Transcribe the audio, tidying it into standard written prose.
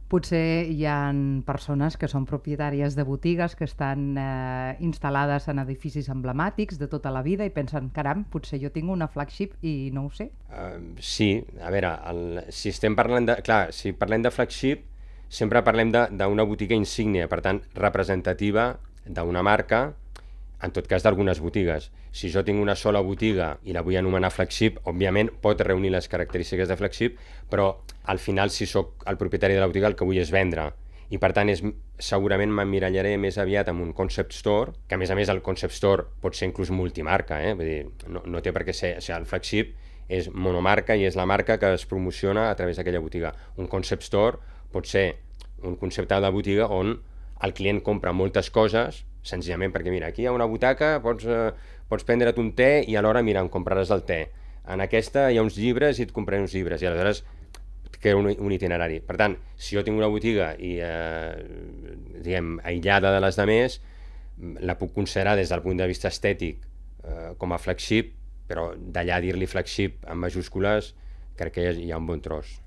Potser hi ha persones que són propietàries de botigues que estan instal·lades en edificis emblemàtics de tota la vida i pensen, caram, potser jo tinc una flagship i no ho sé. Sí, a veure, si estem parlant de... Clar, si parlem de flagship, sempre parlem d'una botiga insígnia, per tant, representativa d'una marca, en tot cas d'algunes botigues. Si jo tinc una sola botiga i la vull anomenar flagship, òbviament pot reunir les característiques de flagship, però al final, si sóc el propietari de la botiga, el que vull és vendre. I per tant, segurament m'emmirallaré més aviat amb un concept store, que a més el concept store pot ser inclús multimarca, vull dir, no té per què ser... O sigui, el flagship és monomarca i és la marca que es promociona a través d'aquella botiga. Un concept store pot ser un concepte de botiga on el client compra moltes coses senzillament perquè, mira, aquí hi ha una butaca, pots prendre't un te i alhora, mira, em compraràs el te. En aquesta hi ha uns llibres i et compraré uns llibres. I aleshores crea un itinerari. Per tant, si jo tinc una botiga i, diguem, aïllada de les demés, la puc considerar des del punt de vista estètic com a flagship, però d'allà dir-li flagship en majúscules crec que hi ha un bon tros.